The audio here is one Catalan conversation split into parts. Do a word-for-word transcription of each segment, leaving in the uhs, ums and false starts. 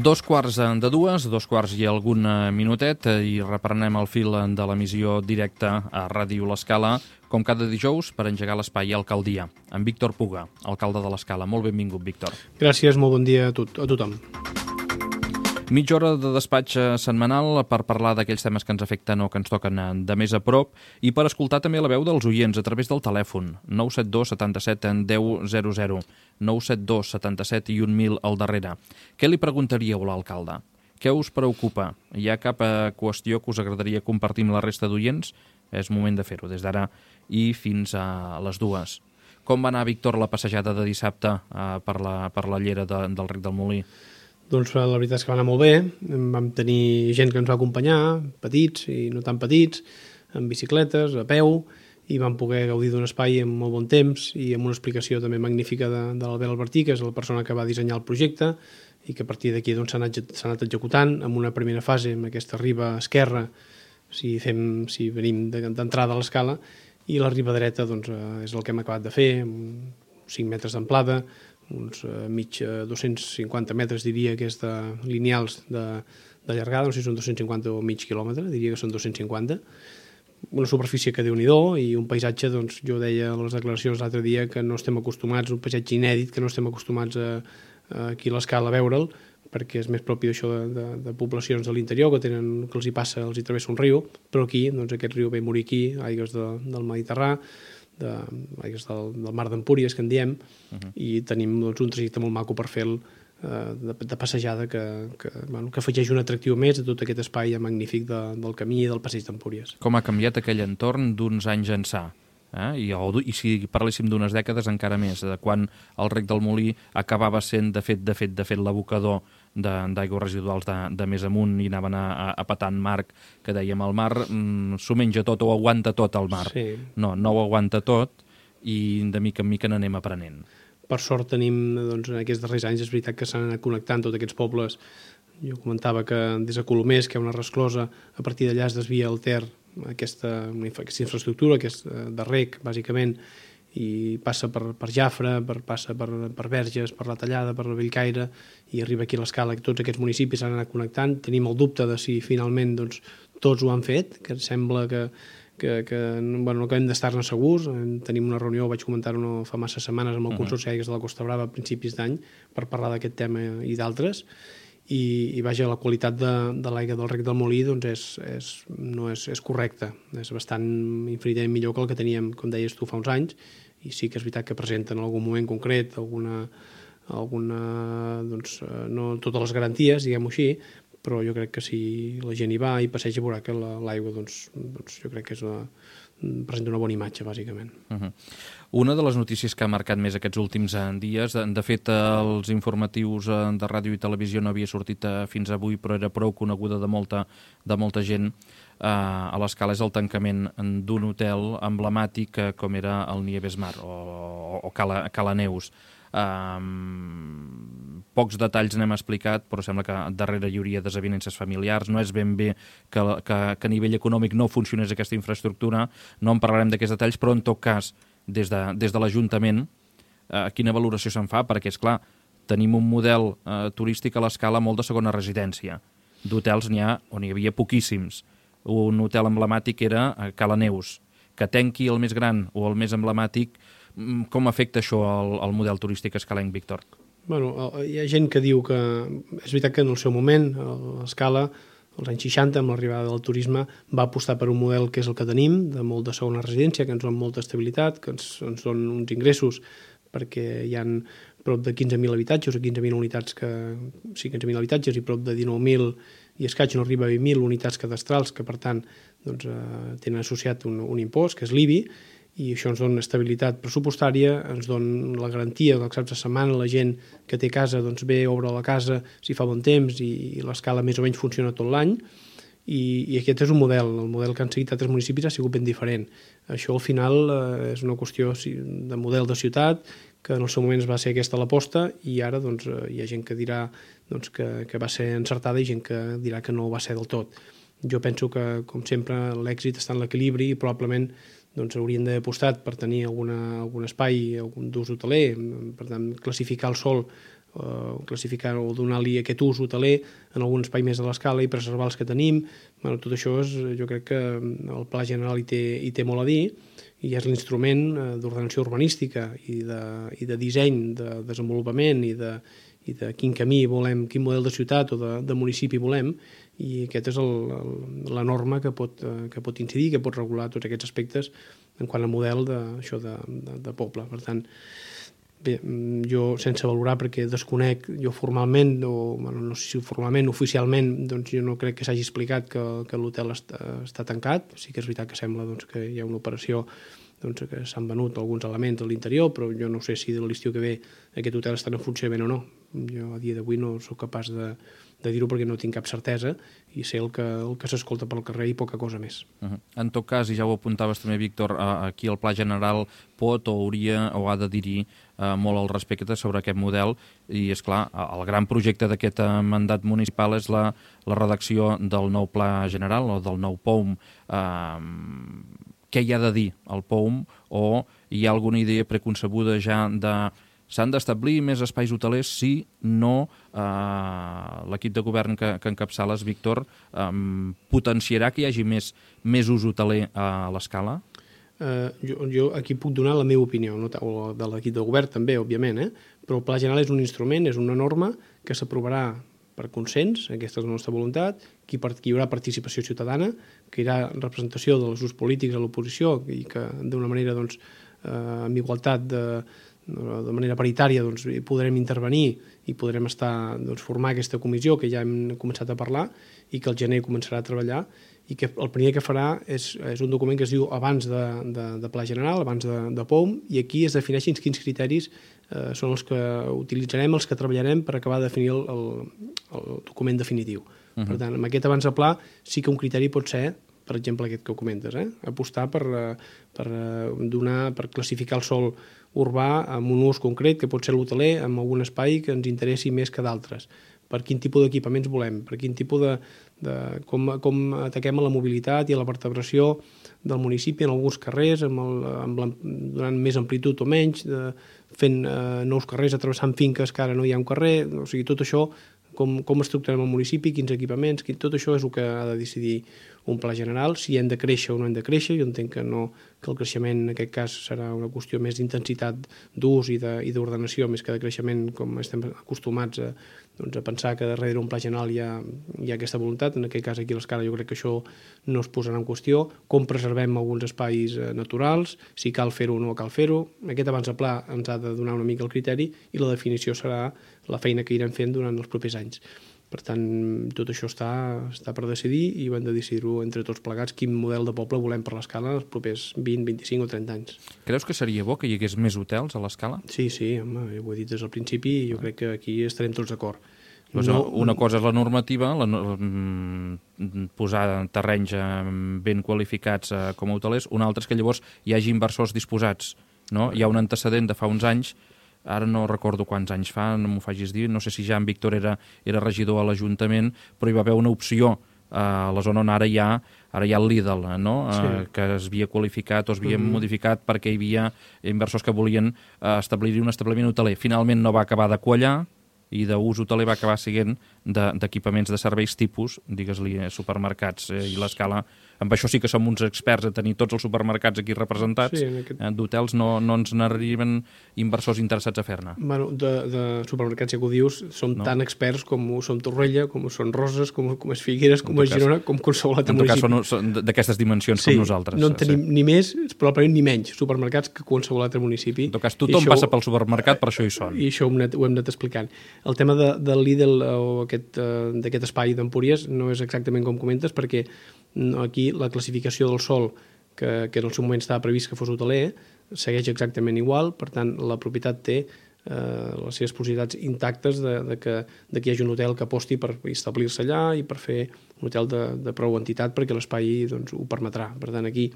Dos quarts de dues, dos quarts i algun minutet, i reprenem el fil de l'emissió directa a Ràdio L'Escala, com cada dijous, per engegar l'espai Alcaldia, amb Víctor Puga, alcalde de l'Escala. Molt benvingut, Víctor. Gràcies, molt bon dia a, tot, a tothom. Mitja hora de despatx setmanal per parlar d'aquells temes que ens afecten o que ens toquen de més a prop i per escoltar també la veu dels oients a través del telèfon nou set dos setanta-set deu zero zero, nou set dos setanta-set i un mil al darrere. Què li preguntaríeu a l'alcalde? Què us preocupa? Hi ha cap qüestió que us agradaria compartir amb la resta d'oients? És moment de fer-ho des d'ara i fins a les dues. Com va anar, Víctor, la passejada de dissabte eh, per, la, per la llera de, del Rec del Molí? Doncs la veritat és que va anar molt bé. Vam tenir gent que ens va acompanyar, petits i no tan petits, amb bicicletes, a peu, i vam poder gaudir d'un espai amb molt bon temps i amb una explicació també magnífica de, de l'Albert Albertí, que és la persona que va dissenyar el projecte, i que a partir d'aquí doncs, s'ha anat, s'ha anat executant amb una primera fase, amb aquesta riba esquerra, si, fem, si venim d'entrada a l'escala, i la riba dreta doncs, és el que hem acabat de fer, amb cinc metres d'amplada, uns uh, mig uh, dos-cents cinquanta metres, diria que és de lineals de, de llargada, no sé si són dos-cents cinquanta o mig quilòmetre, diria que són dos-cents cinquanta, una superfície que déu-n'hi-do i un paisatge, doncs jo deia a les declaracions l'altre dia que no estem acostumats, un paisatge inèdit, que no estem acostumats a, a aquí a l'Escala a veure'l, perquè és més propi d'això de, de, de poblacions de l'interior que tenen, que els hi passa, els hi travessa un riu, però aquí, doncs aquest riu ve a morir aquí, aigües de, del Mediterrani, de, del, del mar d'Empúries, que en diem, uh -huh. i tenim doncs, un trajecte molt maco per fer el, eh, de, de passejada que, que, bueno, que afegeix un atractiu més a tot aquest espai magnífic de, del camí i del passeig d'Empúries. Com ha canviat aquell entorn d'uns anys ençà? Eh? I, o, I si parléssim d'unes dècades encara més, de quan el Rec del Molí acabava sent, de fet, de fet, de fet l'abocador d'aigües residuals de, de més amunt i anaven a, a, a petant Marc, que dèiem el mar mm, s'ho menja tot o aguanta tot el mar. Sí. No, no ho aguanta tot i de mica en mica n'anem aprenent. Per sort tenim, doncs, en aquests darrers anys, és veritat que s'han anat connectant tots aquests pobles. Jo comentava que des de Colomers, que hi ha una resclosa, a partir d'allà es desvia el Ter, aquesta, aquesta infraestructura, que és de rec, bàsicament, i passa per, per Jafre, per, passa per, per Verges, per la Tallada, per la Bellcaire, i arriba aquí a l'Escala, que tots aquests municipis s'han anat connectant. Tenim el dubte de si finalment doncs, tots ho han fet, que sembla que, que, que bueno, no acabem d'estar-ne segurs. Tenim una reunió, vaig comentar-ho no fa massa setmanes, amb el Consorci d'Aigües de la Costa Brava a principis d'any, per parlar d'aquest tema i d'altres, i, i vaja, la qualitat de, de l'aigua del Rec del Molí doncs és, és, no és, és correcta, és bastant infinitament millor que el que teníem, com deies tu, fa uns anys, i sí que és veritat que presenten en algun moment concret alguna, alguna doncs, no totes les garanties, diguem-ho així, però jo crec que si la gent hi va i passeja veurà que l'aigua doncs, doncs jo crec que és una, presenta una bona imatge, bàsicament. Uh-huh. Una de les notícies que ha marcat més aquests últims dies, de fet els informatius de ràdio i televisió no havia sortit fins avui, però era prou coneguda de molta, de molta gent, Uh, a l'Escala, és el tancament d'un hotel emblemàtic uh, com era el Nieves Mar o, o Cala, Cala Neus. Um, pocs detalls n'hem explicat, però sembla que darrere hi hauria desavinences familiars. No és ben bé que, que, que a nivell econòmic no funcionés aquesta infraestructura, no en parlarem d'aquests detalls, però en tot cas, des de, des de l'Ajuntament, uh, quina valoració se'n fa? Perquè, és clar, tenim un model uh, turístic a l'Escala molt de segona residència. D'hotels n'hi ha, on hi havia poquíssims. Un hotel emblemàtic era a Cala Neus. Que tanqui el més gran o el més emblemàtic, com afecta això al, al model turístic escalenc, Víctor? Bueno, hi ha gent que diu que és veritat que en el seu moment l'Escala, als anys seixanta, amb l'arribada del turisme, va apostar per un model que és el que tenim, de molt de segona residència, que ens dona molta estabilitat, que ens, ens dona uns ingressos, perquè hi ha prop de quinze mil habitatges o quinze mil unitats, que, sí, quinze mil habitatges i prop de dinou mil i escaig, no arriba a vint mil unitats cadastrals, que per tant doncs, eh, tenen associat un, un impost, que és l'I B I, i això ens dona estabilitat pressupostària, ens dona la garantia que els caps de setmana la gent que té casa doncs, ve, obre la casa si fa bon temps i, i l'Escala més o menys funciona tot l'any, i, i aquest és un model. El model que han seguit altres municipis ha sigut ben diferent. Això al final eh, és una qüestió de model de ciutat, que en el seu moment va ser aquesta l'aposta, i ara doncs, hi ha gent que dirà doncs, que, que va ser encertada i gent que dirà que no ho va ser del tot. Jo penso que, com sempre, l'èxit està en l'equilibri i probablement doncs, haurien d'haver apostat per tenir alguna, algun espai, algun d'ús hoteler, per tant, classificar el sòl eh, classificar o donar-li aquest ús hoteler en algun espai més de l'escala i preservar els que tenim. Bueno, tot això és, jo crec que el Pla General hi té, hi té molt a dir, i és l'instrument eh, d'ordenació urbanística i de, i de disseny, de desenvolupament i de, i de quin camí volem, quin model de ciutat o de, de municipi volem, i aquest és el, el, la norma que pot, eh, que pot incidir, que pot regular tots aquests aspectes en quant al model de, això de, de, de poble. Per tant, bé, jo sense valorar, perquè desconec jo formalment, o bueno, no sé si formalment, oficialment, doncs jo no crec que s'hagi explicat que, que l'hotel està, està tancat. Sí que és veritat que sembla doncs, que hi ha una operació, doncs, que s'han venut alguns elements a l'interior, però jo no sé si de l'estiu que ve aquest hotel està en funcionament o no. Jo a dia d'avui no sóc capaç de, de dir-ho perquè no tinc cap certesa i sé el que, el que s'escolta pel carrer i poca cosa més. Uh -huh. En tot cas, i ja ho apuntaves també, Víctor, aquí el Pla General pot o hauria o ha de dir-hi eh, molt al respecte sobre aquest model, i és clar, el gran projecte d'aquest mandat municipal és la, la redacció del nou Pla General o del nou P O M. Eh, què hi ha de dir el P O M, o hi ha alguna idea preconcebuda ja de s'han d'establir més espais hotelers si no eh, l'equip de govern que, que encapçales, Víctor, eh, potenciarà que hi hagi més, més ús hoteler a l'escala? Uh, jo, jo aquí puc donar la meva opinió, no? O de l'equip de govern també, òbviament, eh? Però el Pla General és un instrument, és una norma que s'aprovarà per consens, aquesta és la nostra voluntat, que hi haurà participació ciutadana, que hi haurà representació dels grups polítics a l'oposició i que d'una manera, doncs, eh, amb igualtat de, de manera paritària, doncs, podrem intervenir i podrem estar, doncs, formar aquesta comissió que ja hem començat a parlar i que el gener començarà a treballar, i que el primer que farà és, és un document que es diu abans de, de, de Pla General, abans de, de P O M, i aquí es defineixen quins criteris eh, són els que utilitzarem, els que treballarem per acabar de definir el, el, el document definitiu. Uh -huh. Per tant, amb aquest abans de pla sí que un criteri pot ser, per exemple, aquest que comentes, eh? apostar per, per donar, per classificar el sòl urbà amb un ús concret, que pot ser l'hoteler, amb algun espai que ens interessi més que d'altres. Per quin tipus d'equipaments volem, per quin tipus de... de com, com ataquem a la mobilitat i a la vertebració del municipi en alguns carrers, amb el, amb la, donant més amplitud o menys, de, fent eh, nous carrers, atravessant finques que ara no hi ha un carrer, o sigui, tot això, com, com estructurem el municipi, quins equipaments, quin, tot això és el que ha de decidir un pla general, si hem de créixer o no hem de créixer. Jo entenc que, no, que el creixement en aquest cas serà una qüestió més d'intensitat d'ús i d'ordenació més que de creixement, com estem acostumats a, doncs, a pensar que darrere un pla general hi ha, hi ha aquesta voluntat. En aquest cas aquí a l'escala jo crec que això no es posarà en qüestió. Com preservem alguns espais eh, naturals, si cal fer-ho o no cal fer-ho. Aquest abans de pla ens ha de donar una mica el criteri i la definició serà la feina que irem fent durant els propers anys. Per tant, tot això està, està per decidir i ho hem de decidir-ho entre tots plegats quin model de poble volem per l'escala els propers vint, vint-i-cinc o trenta anys. Creus que seria bo que hi hagués més hotels a l'escala? Sí, sí, home, ho he dit des del principi i jo crec que aquí estarem tots d'acord. Pues no, una cosa és la normativa, la, posar terrenys ben qualificats com a hotelers, una altra és que llavors hi hagi inversors disposats. No? Hi ha un antecedent de fa uns anys, ara no recordo quants anys fa, no m'ho facis dir, no sé si ja en Víctor era, era regidor a l'Ajuntament, però hi va haver una opció a la zona on ara hi ha, ara hi ha el Lidl, no? Sí. eh, que es havia qualificat o es havia mm-hmm. modificat perquè hi havia inversors que volien eh, establir un establiment hoteler. Finalment no va acabar de quallar i d'ús hoteler va acabar sent d'equipaments de, de serveis tipus, digues-li, supermercats, eh, i l'escala. Amb això sí que som uns experts a tenir tots els supermercats aquí representats. Sí, aquest... eh, d'hotels no, no ens n'arriben inversors interessats a fer-ne. Bueno, de, de supermercats, ja que ho dius, som no. tan experts com ho som Torrella, com ho són Roses, com, com és Figueres, com és Girona, com qualsevol altre municipi. En tot cas són d'aquestes dimensions sí, com nosaltres. No en tenim sí. ni més, probablement ni menys supermercats que qualsevol altre municipi. En tot cas, tothom això, passa pel supermercat, per això hi són. I això ho hem anat, ho hem anat explicant. El tema de, de Lidl o aquest, uh, d'aquest espai d'Empúries no és exactament com comentes, perquè aquí la classificació del sòl, que, que en el seu moment estava previst que fos hoteler, segueix exactament igual. Per tant, la propietat té eh, les seves possibilitats intactes de, de, que, de que hi hagi un hotel que aposti per establir-se allà i per fer un hotel de, de prou entitat perquè l'espai doncs, ho permetrà. Per tant, aquí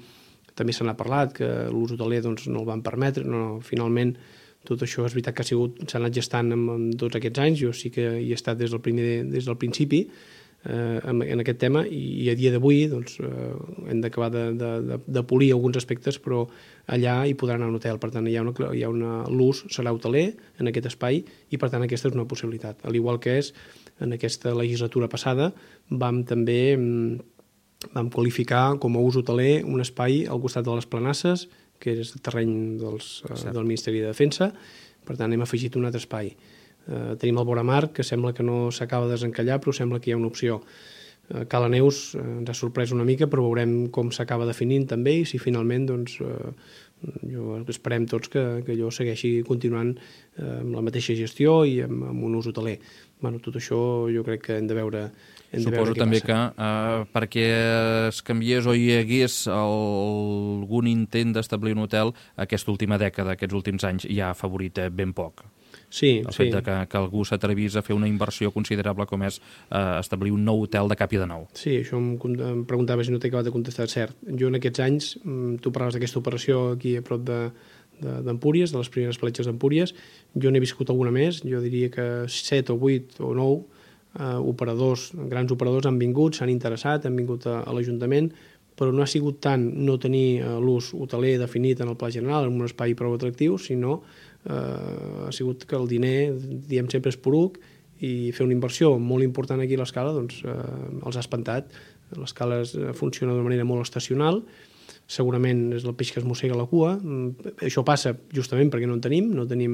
també se n'ha parlat que l'ús hoteler doncs, no el van permetre, no, finalment tot això és veritat que ha sigut, s'ha anat gestant en, en tots aquests anys, jo sí que hi he estat des del, primer, des del principi. eh, en, en aquest tema, i, i a dia d'avui doncs, eh, hem d'acabar de, de, de, de polir alguns aspectes, però allà hi podrà anar un hotel. Per tant, hi ha una, hi ha una, l'ús serà hoteler en aquest espai i, per tant, aquesta és una possibilitat. Al igual que és, en aquesta legislatura passada, vam també vam qualificar com a ús hoteler un espai al costat de les Planasses, que és el terreny dels, del Ministeri de Defensa. Per tant, hem afegit un altre espai. Eh, tenim el Voramar, que sembla que no s'acaba de desencallar, però sembla que hi ha una opció. Eh, Cala Neus eh, ens ha sorprès una mica, però veurem com s'acaba definint també i si finalment doncs, eh, jo esperem tots que, que allò segueixi continuant eh, amb la mateixa gestió i amb, amb un ús hoteler. Bueno, tot això jo crec que hem de veure hem Suposo de veure també passa. que eh, perquè es canviés o hi hagués el, algun intent d'establir un hotel, aquesta última dècada, aquests últims anys, ja ha afavorit ben poc. Sí, el sí. fet de que, que algú s'atrevís a fer una inversió considerable com és eh, establir un nou hotel de cap i de nou. Sí, això em, em preguntava si no t'he acabat de contestar, cert. Jo en aquests anys, tu parlaves d'aquesta operació aquí a prop de d'Empúries, de, de les primeres platges d'Empúries, jo n'he viscut alguna més, jo diria que set o vuit o nou eh, operadors, grans operadors han vingut, s'han interessat, han vingut a, a l'Ajuntament, però no ha sigut tant no tenir eh, l'ús hoteler definit en el pla general, en un espai prou atractiu, sinó eh, ha sigut que el diner, diem sempre, és poruc, i fer una inversió molt important aquí a l'Escala doncs, eh, els ha espantat. L'Escala funciona d'una manera molt estacional, segurament és el peix que es mossega la cua. Això passa justament perquè no en tenim, no tenim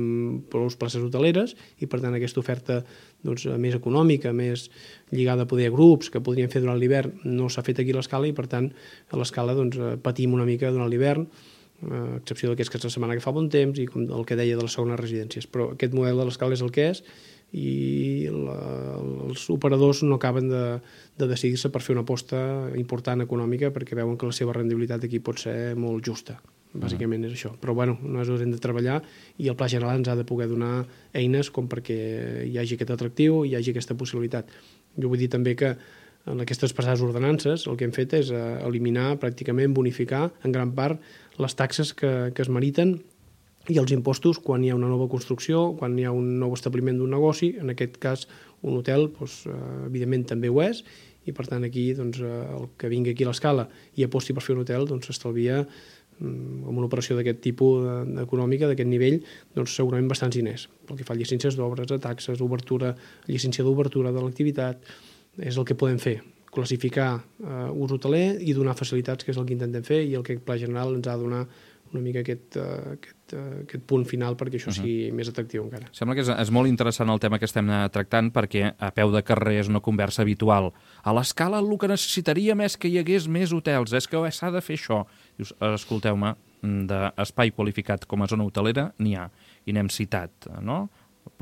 prou places hoteleres i per tant aquesta oferta doncs, més econòmica, més lligada a poder a grups que podrien fer durant l'hivern no s'ha fet aquí a l'Escala i per tant a l'Escala doncs, patim una mica durant l'hivern, a excepció d'aquesta setmana que fa bon temps i com el que deia de les segones residències. Però aquest model de l'Escala és el que és i la, els operadors no acaben de, de decidir-se per fer una aposta important econòmica perquè veuen que la seva rendibilitat aquí pot ser molt justa. Bàsicament és això. Però bueno, nosaltres hem de treballar i el Pla General ens ha de poder donar eines com perquè hi hagi aquest atractiu, hi hagi aquesta possibilitat. Jo vull dir també que en aquestes passades ordenances el que hem fet és eliminar, pràcticament bonificar en gran part les taxes que, que es meriten i els impostos quan hi ha una nova construcció, quan hi ha un nou establiment d'un negoci, en aquest cas un hotel, doncs, evidentment també ho és, i per tant aquí doncs, el que vingui aquí a l'Escala i aposti per fer un hotel doncs, s'estalvia amb una operació d'aquest tipus econòmica, d'aquest nivell, doncs segurament bastants diners. Pel que fa a llicències d'obres, a taxes, obertura, llicència d'obertura de l'activitat, és el que podem fer, classificar uh, ús hoteler i donar facilitats, que és el que intentem fer i el que el Pla General ens ha de donar una mica aquest, uh, aquest, uh, aquest punt final perquè això sigui uh-huh. més atractiu encara. Sembla que és, és molt interessant el tema que estem tractant perquè a peu de carrer és una conversa habitual. A l'Escala el que necessitaríem és que hi hagués més hotels, és que s'ha de fer això. Dius, escolteu-me, d'espai qualificat com a zona hotelera n'hi ha, i n'hem citat, no?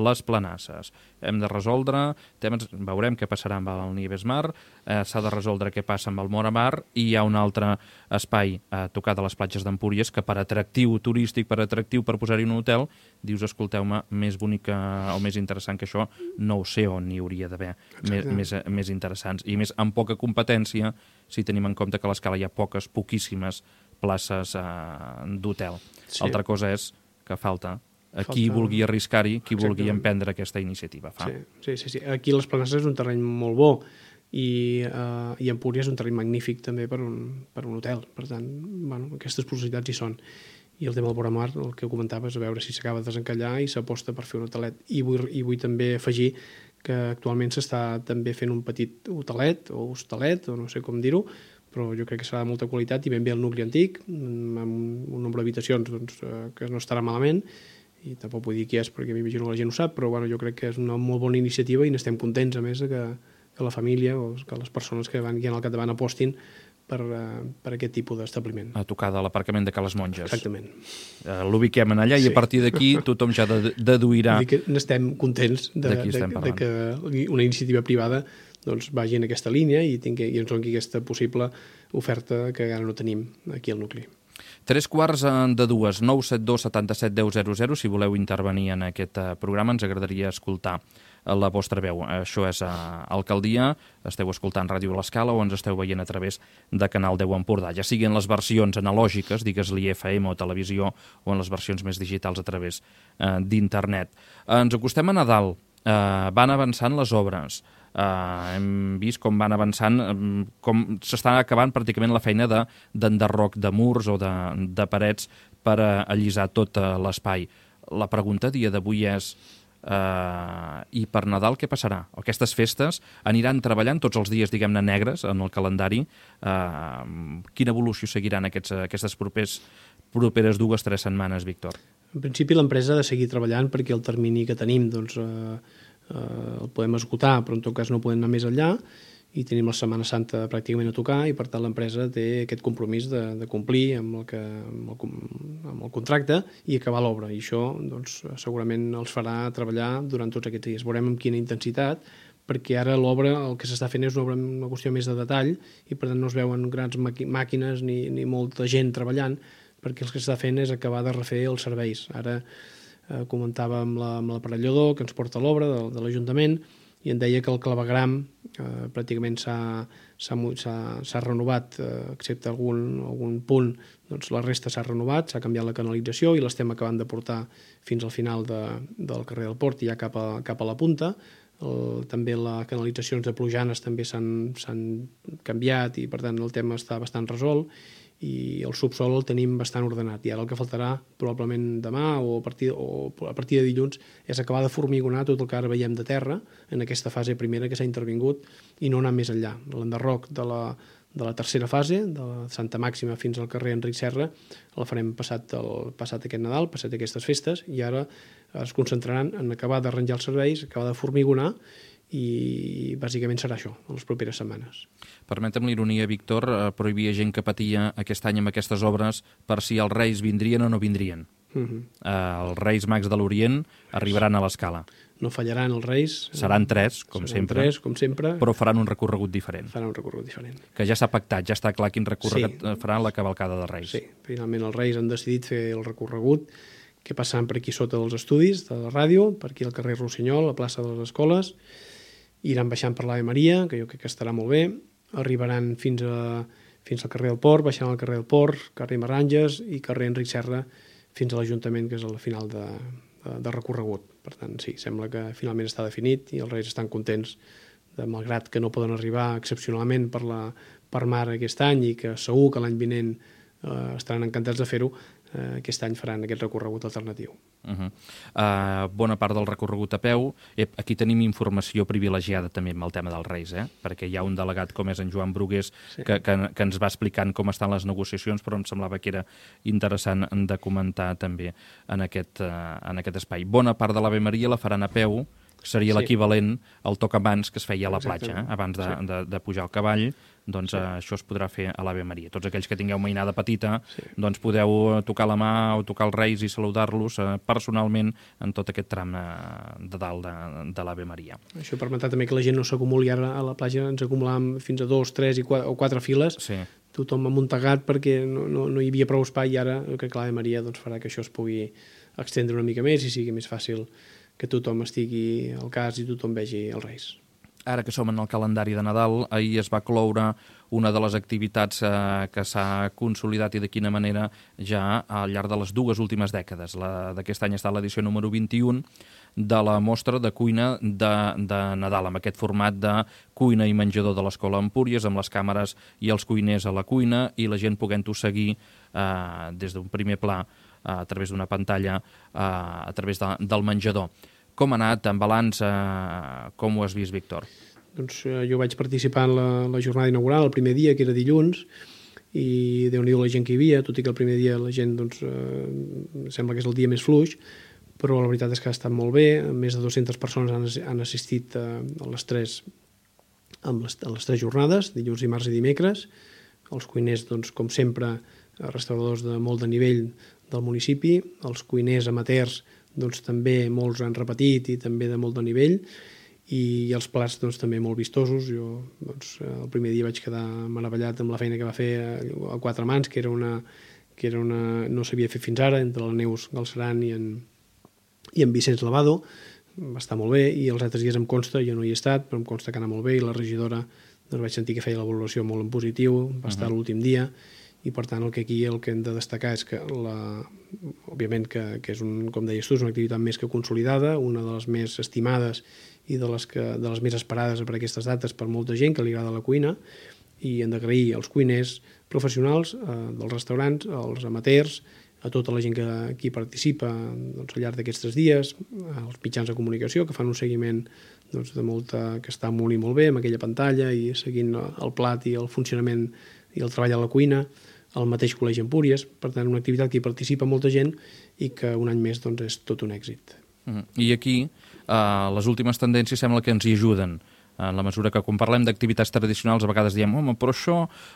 Les Planasses. Hem de resoldre temes, veurem què passarà amb el Nieves Mar, eh, s'ha de resoldre què passa amb el Moramar i hi ha un altre espai a tocar de les platges d'Empúries que per atractiu turístic, per atractiu per posar-hi un hotel, dius, escolteu-me, més bonic o més interessant que això, no ho sé on n'hi hauria d'haver més, més, més interessants i més amb poca competència si tenim en compte que a l'Escala hi ha poques, poquíssimes places eh, d'hotel. Sí. Altra cosa és que falta a qui Falta... vulgui arriscar-hi, qui Exactament. vulgui emprendre aquesta iniciativa. Fa. Sí, sí, sí, sí. Aquí les Planasses és un terreny molt bo i, uh, i Empúries és un terreny magnífic també per un, per un hotel. Per tant, bueno, aquestes possibilitats hi són. I el tema del Voramar, el que comentaves, a veure si s'acaba de desencallar i s'aposta per fer un hotelet. I vull, i vull també afegir que actualment s'està també fent un petit hotelet o hostelet, o no sé com dir-ho, però jo crec que serà de molta qualitat i ben bé el nucli antic, amb un nombre d'habitacions doncs, que no estarà malament, i tampoc vull dir qui és perquè m'imagino que la gent ho sap, però bueno, jo crec que és una molt bona iniciativa i n'estem contents, a més, que, que la família o que les persones que van aquí al capdavant apostin per, uh, per aquest tipus d'establiment. A tocar de l'aparcament de Cales Monges. Exactament. Uh, L'ubiquem en allà sí. I a partir d'aquí tothom ja deduirà... Vull dir que n'estem contents de, de, de, de que una iniciativa privada doncs, vagi en aquesta línia i, tingui, i ens doni aquesta possible oferta que ara no tenim aquí al nucli. Tres quarts de dues, nou set dos setanta-set deu zero zero, si voleu intervenir en aquest programa, ens agradaria escoltar la vostra veu. Això és a Alcaldia, esteu escoltant Ràdio l'Escala o ens esteu veient a través de Canal deu Empordà, ja sigui en les versions analògiques, digues-li F M o televisió, o en les versions més digitals a través eh, d'internet. Ens acostem a Nadal eh, van avançant les obres. Uh, hem vist com van avançant, um, com s'està acabant pràcticament la feina d'enderroc de, de murs o de, de parets per uh, allisar tot uh, l'espai. La pregunta a dia d'avui és uh, i per Nadal què passarà? Aquestes festes aniran treballant tots els dies, diguem-ne, negres en el calendari. Uh, quina evolució seguiran aquests, aquestes propers, properes dues o tres setmanes, Víctor? En principi l'empresa ha de seguir treballant perquè el termini que tenim doncs, uh, Uh, el podem esgotar, però en tot cas no podem anar més enllà i tenim la Setmana Santa pràcticament a tocar i per tant l'empresa té aquest compromís de, de complir amb el, que, amb, el, amb el contracte i acabar l'obra, i això doncs, segurament els farà treballar durant tots aquests dies. Veurem amb quina intensitat, perquè ara l'obra el que s'està fent és una obra amb una qüestió més de detall i per tant no es veuen grans màquines ni, ni molta gent treballant, perquè el que s'està fent és acabar de refer els serveis. Ara Eh, comentava amb l'aparellador que ens porta l'obra de, de l'Ajuntament i em deia que el clavegram eh, pràcticament s'ha renovat, eh, excepte algun, algun punt, doncs la resta s'ha renovat, s'ha canviat la canalització i l'estem acabant de portar fins al final de, del carrer del Port i ja cap a, cap a la punta. El, també les canalitzacions de Plujanes també s'han canviat i per tant el tema està bastant resolt i el subsol el tenim bastant ordenat i ara el que faltarà probablement demà o a partir, o a partir de dilluns és acabar de formigonar tot el que ara veiem de terra en aquesta fase primera que s'ha intervingut i no anar més enllà. L'enderroc de la, de la tercera fase, de la Santa Màxima fins al carrer Enric Serra, la farem passat, el, passat aquest Nadal, passat aquestes festes, i ara es concentraran en acabar d'arranjar els serveis, acabar de formigonar, i bàsicament serà això, en les properes setmanes. Permetem l'ironia, Víctor, eh, però hi havia gent que patia aquest any amb aquestes obres per si els Reis vindrien o no vindrien. Uh -huh. eh, els Reis Mags de l'Orient arribaran a l'Escala. No fallaran els Reis. Seran tres, com seran sempre, tres, com sempre, però faran un recorregut diferent. Faran un recorregut diferent. Que ja s'ha pactat, ja està clar quin recorregut sí. farà la cavalcada de Reis. Sí, finalment els Reis han decidit fer el recorregut que passaran per aquí sota dels estudis de la ràdio, per aquí al carrer Rossinyol, a plaça de les Escoles, iran baixant per l'Ave Maria, que jo crec que estarà molt bé, arribaran fins, a, fins al carrer del Port, baixant al carrer del Port, carrer Maranges i carrer Enric Serra fins a l'Ajuntament, que és el final de, de, de recorregut. Per tant, sí, sembla que finalment està definit i els Reis estan contents, de, malgrat que no poden arribar excepcionalment per, la, per mar aquest any i que segur que l'any vinent eh, estaran encantats de fer-ho, eh, aquest any faran aquest recorregut alternatiu. Uh -huh. uh, bona part del recorregut a peu. Eh, aquí tenim informació privilegiada també amb el tema dels Reis, eh? Perquè hi ha un delegat com és en Joan Brugués sí. que, que, que ens va explicant com estan les negociacions, però em semblava que era interessant de comentar també en aquest, uh, en aquest espai. Bona part de l'Ave Maria la faran a peu, seria sí. l'equivalent al tocamans que es feia a la platja, eh? Abans de, sí. de, de pujar al cavall, doncs sí. uh, això es podrà fer a l'Ave Maria. Tots aquells que tingueu mainada petita, sí. doncs podeu tocar la mà o tocar els Reis i saludar-los uh, personalment en tot aquest tram uh, de dalt de, de l'Ave Maria. Això permetrà també que la gent no s'acumuli. Ara a la platja ens acumulàvem fins a dos, tres i quatre, o quatre files, sí. tothom amuntegat perquè no, no, no hi havia prou espai, i ara crec que l'Ave Maria doncs, farà que això es pugui extendre una mica més i sigui més fàcil que tothom estigui al cas i tothom vegi els Reis. Ara que som en el calendari de Nadal, ahir es va cloure una de les activitats eh, que s'ha consolidat i de quina manera ja al llarg de les dues últimes dècades. D'aquest any està l'edició número vint-i-un de la mostra de cuina de, de Nadal, amb aquest format de cuina i menjador de l'Escola Empúries, amb les càmeres i els cuiners a la cuina i la gent podent-ho seguir eh, des d'un primer pla a través d'una pantalla, a través de, del menjador. Com ha anat, en balanç, eh, com ho has vist, Víctor? Doncs eh, jo vaig participar en la, la jornada inaugural, el primer dia, que era dilluns, i Déu-n'hi-do la gent que hi havia, tot i que el primer dia la gent, doncs, eh, sembla que és el dia més fluix, però la veritat és que ha estat molt bé, més de dues-centes persones han, han assistit a, a, les tres, a, les, a les tres jornades, dilluns, dimarts i dimecres. Els cuiners, doncs, com sempre, restauradors de molt de nivell del municipi, els cuiners amateurs doncs, també molts han repetit i també de molt de nivell, i els plats doncs, també molt vistosos. Jo doncs, el primer dia vaig quedar meravellat amb la feina que va fer a quatre mans, que era una, que era una, no s'havia fet fins ara, entre la Neus Galceran i en, i en Vicenç Lavado. Va estar molt bé, i els altres dies em consta, jo no hi he estat, però em consta que anava molt bé, i la regidora doncs, vaig sentir que feia la valoració molt en positiu, va estar uh-huh. l'últim dia, i per tant el que aquí el que hem de destacar és que la, òbviament que, que és un, com deies tu, és una activitat més que consolidada, una de les més estimades i de les, que, de les més esperades per aquestes dates per molta gent que li agrada la cuina, i hem d'agrair als cuiners professionals eh, dels restaurants, als amateurs, a tota la gent que aquí participa doncs, al llarg d'aquests tres dies, als mitjans de comunicació que fan un seguiment doncs, de molta, que està molt i molt bé amb aquella pantalla i seguint el plat i el funcionament i el treball a la cuina, al mateix Col·legi Empúries, per tant una activitat que hi participa molta gent i que un any més doncs, és tot un èxit. Mm. I aquí eh, les últimes tendències sembla que ens hi ajuden, en la mesura que quan parlem d'activitats tradicionals a vegades diem home, però això,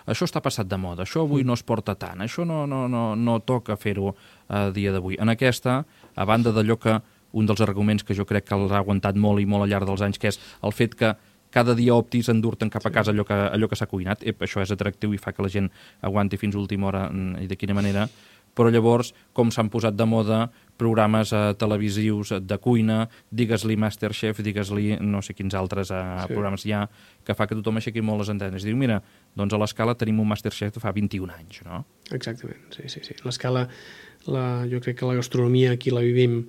això està passat de moda, això avui no es porta tant, això no, no, no, no toca fer-ho a dia d'avui. En aquesta, a banda d'allò que un dels arguments que jo crec que els ha aguantat molt i molt al llarg dels anys, que és el fet que cada dia optis a endur-te'n cap a casa allò que, allò que s'ha cuinat, Ep, això és atractiu i fa que la gent aguanti fins a última hora i de quina manera, però llavors com s'han posat de moda programes eh, televisius de cuina, digues-li Masterchef, digues-li no sé quins altres eh, sí. programes hi ha, que fa que tothom aixequi molt les antenes. Diu, mira, doncs a l'Escala tenim un Masterchef de fa vint-i-un anys, no? Exactament, sí, sí, sí. L'Escala, la, jo crec que la gastronomia aquí la vivim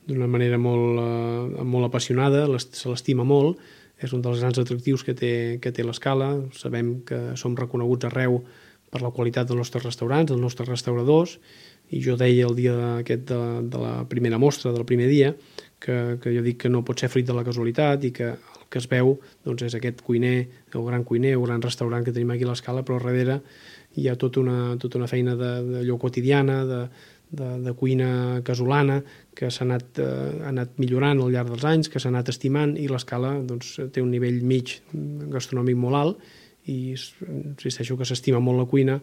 d'una manera molt, eh, molt apassionada, se l'estima molt, és un dels grans atractius que té, que té l'Escala. Sabem que som reconeguts arreu per la qualitat dels nostres restaurants, dels nostres restauradors, i jo deia el dia aquest de, de la primera mostra, del primer dia, que, que jo dic que no pot ser fruit de la casualitat i que el que es veu doncs, és aquest cuiner, el gran cuiner, el gran restaurant que tenim aquí a l'Escala, però darrere hi ha tota una, tota una feina d'allò quotidiana, de, de, de cuina casolana, que s'ha anat, eh, ha anat millorant al llarg dels anys, que s'ha anat estimant, i l'Escala doncs, té un nivell mig gastronòmic molt alt, i insisteixo que s'estima molt la cuina,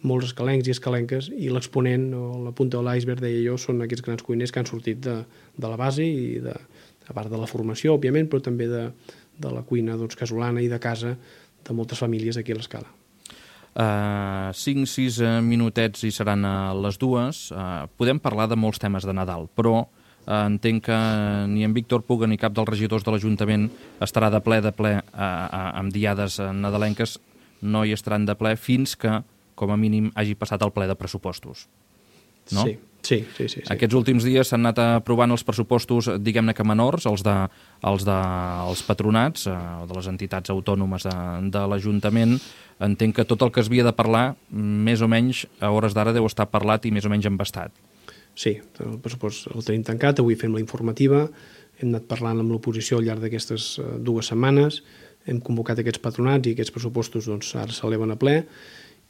molts escalencs i escalenques, i l'exponent o la punta de l'iceberg, deia jo, són aquests grans cuiners que han sortit de, de la base, i de, a part de la formació, òbviament, però també de, de la cuina doncs, casolana i de casa de moltes famílies aquí a l'Escala. Uh, cinc sis minutets i seran a les dues. Uh, podem parlar de molts temes de Nadal, però uh, entenc que ni en Víctor Puga ni cap dels regidors de l'Ajuntament estarà de ple de ple uh, uh, amb diades nadalenques, no hi estaran de ple fins que, com a mínim, hagi passat el ple de pressupostos. No? Sí, sí, sí, sí, sí. Aquests últims dies s'han anat aprovant els pressupostos, diguem-ne que menors, els de, els de els patronats, eh, de les entitats autònomes de, de l'Ajuntament. Entenc que tot el que es havia de parlar, més o menys, a hores d'ara deu estar parlat i més o menys embastat. Sí, el pressupost el tenim tancat, avui fem la informativa, hem anat parlant amb l'oposició al llarg d'aquestes dues setmanes, hem convocat aquests patronats i aquests pressupostos doncs, ara s'eleven a ple,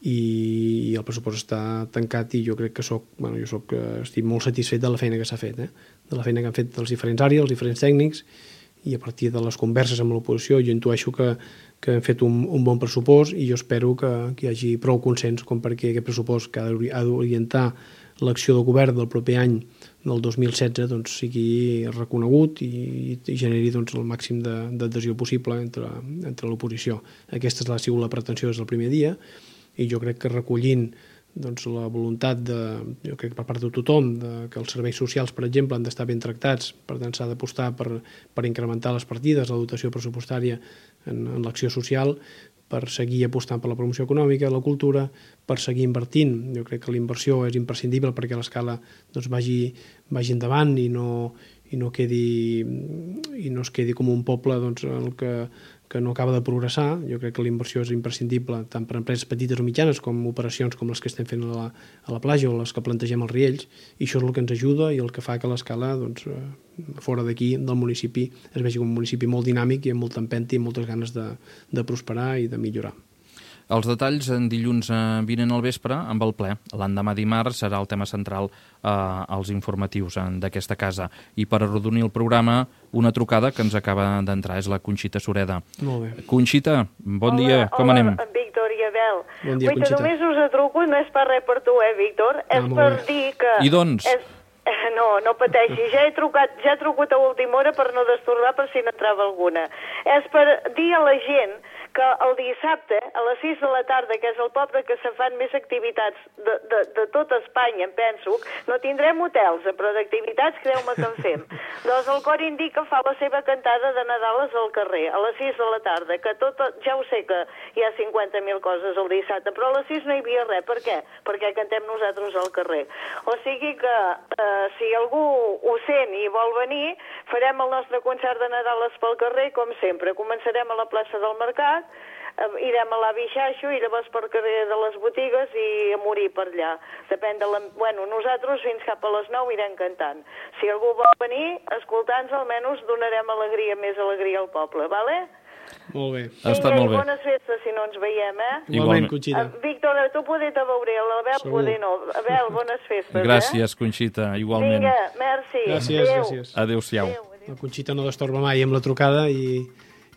i el pressupost està tancat, i jo crec que soc, bueno, jo soc, estic molt satisfet de la feina que s'ha fet, eh? De la feina que han fet els diferents àrees, els diferents tècnics, i a partir de les converses amb l'oposició jo intueixo que, que hem fet un, un bon pressupost, i jo espero que, que hi hagi prou consens com perquè aquest pressupost que ha d'orientar l'acció del govern del proper any, del dos mil setze, doncs, sigui reconegut i, i generi doncs, el màxim d'adhesió possible entre, entre l'oposició. Aquesta ha sigut la pretensió des del primer dia, i jo crec que recollint doncs, la voluntat de, jo crec per part de tothom, de, que els serveis socials, per exemple, han d'estar ben tractats, per tant s'ha d'apostar per, per incrementar les partides, la dotació pressupostària en, en l'acció social, per seguir apostant per la promoció econòmica, la cultura, per seguir invertint. Jo crec que la inversió és imprescindible perquè l'Escala doncs, vagi, vagi endavant i no, i no quedi i no es quedi com un poble doncs, el que que no acaba de progressar. Jo crec que la inversió és imprescindible tant per empreses petites o mitjanes com operacions com les que estem fent a la, a la platja o les que plantegem als Riells, i això és el que ens ajuda i el que fa que l'Escala, doncs, fora d'aquí, del municipi, es vegi com un municipi molt dinàmic i amb molta empenta i moltes ganes de, de prosperar i de millorar. Els detalls en dilluns vinent al vespre amb el ple. L'endemà dimarts serà el tema central eh, als informatius d'aquesta casa. I per arrodonir el programa, una trucada que ens acaba d'entrar, és la Conxita Sureda. Molt bé. Conxita, bon hola, dia, com hola, anem? Hola, Víctor i Abel. Bon dia, Vull Conxita. només us truco, no és per res per tu, eh, Víctor? Ah, és per dir que... I doncs? És... No, no pateixi, ja he trucat, ja he trucat a última hora per no destorbar per si n'entrava alguna. És per dir a la gent que el dissabte, a les sis de la tarda, que és el poble que se fan més activitats de, de, de tota Espanya, em penso, no tindrem hotels, però d'activitats creu-me que en fem. Doncs el cor indica fa la seva cantada de Nadales al carrer, a les sis de la tarda, que tot, ja ho sé que hi ha cinquanta mil coses el dissabte, però a les sis no hi havia res. Per què? Perquè cantem nosaltres al carrer. O sigui que eh, si algú ho sent i vol venir, farem el nostre concert de Nadales pel carrer, com sempre. Començarem a la plaça del Mercat, eh, irem a l'Avi Xaixo i llavors per carrer de les botigues i a morir per allà. Depèn de la... Bueno, nosaltres fins cap a les nou irem cantant. Si algú vol venir, escoltar-nos, almenys donarem alegria, més alegria al poble, vale? Molt bé. Ha estat molt bé. Bones festes, si no ens veiem, eh? Igualment, Conxita. Uh, Víctor, tu poder te veuré, l'Abel poder no. Abel, bones festes, Gràcies, eh? Conxita, igualment. Vinga, merci. Gràcies, Adéu. gràcies. Adéu-siau. Adéu, adéu. La Conxita no destorba mai amb la trucada i,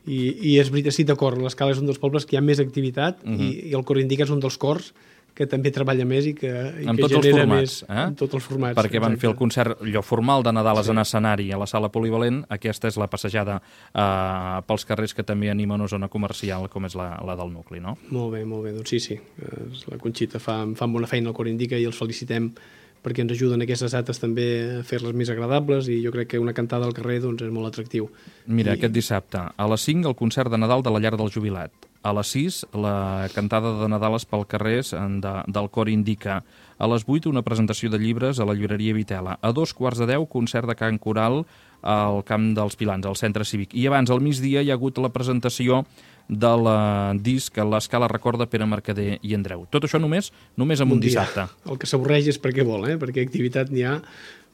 i, i és veritat, sí, d'acord, l'Escala és un dels pobles que hi ha més activitat uh -huh. i, i el Cor Indica és un dels cors que també treballa més i que, i amb que tots els genera formats, més... eh? Amb tots els formats. Perquè van exacte. fer el concert allò formal de Nadales Sí. en escenari a la sala polivalent, aquesta és la passejada eh, pels carrers que també anima una zona comercial com és la, la del nucli, no? Molt bé, molt bé, doncs sí, sí. La Conxita fa, fa bona feina al Cor Indica i els felicitem perquè ens ajuden aquestes dates també a fer-les més agradables i jo crec que una cantada al carrer doncs, és molt atractiu. Mira, I... aquest dissabte, a les cinc, el concert de Nadal de la Llar del Jubilat. A les sis, la cantada de Nadales pel carrer de, del Cor Indica. A les vuit, una presentació de llibres a la llibreria Vitela. A dos quarts de deu, concert de cant coral al Camp dels Pilans, al Centre Cívic. I abans, al migdia, hi ha hagut la presentació del disc L'Escala recorda Pere Mercader i Andreu. Tot això només només en un, un dissabte. El que s'avorreix és perquè vol, eh? Perquè activitat n'hi ha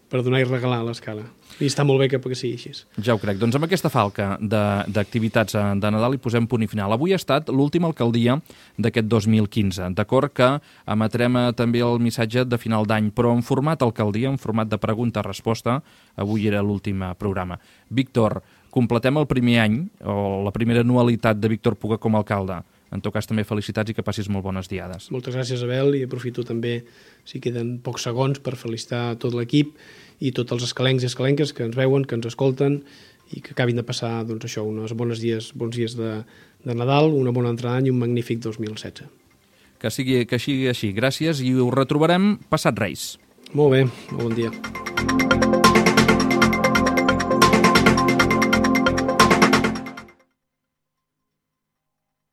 per donar i regalar a l'Escala. I està molt bé que, que sigui així. Ja ho crec. Doncs amb aquesta falca d'activitats de, de Nadal hi posem punt i final. Avui ha estat l'última alcaldia d'aquest dos mil quinze. D'acord que emetrem també el missatge de final d'any, però en format alcaldia, en format de pregunta-resposta. Avui era l'últim programa. Víctor, completem el primer any, o la primera anualitat de Víctor Puga com a alcalde. En tot cas, també felicitats i que passis molt bones diades. Moltes gràcies, Abel, i aprofito també, si queden pocs segons, per felicitar tot l'equip i tots els escalencs i escalenques que ens veuen, que ens escolten i que acabin de passar, doncs això, uns bons dies, bons dies de, de Nadal, una bona entrada d'any i un magnífic dos mil setze. Que sigui, que sigui així. Gràcies i ho retrobarem passat Reis. Molt bé, molt bon dia.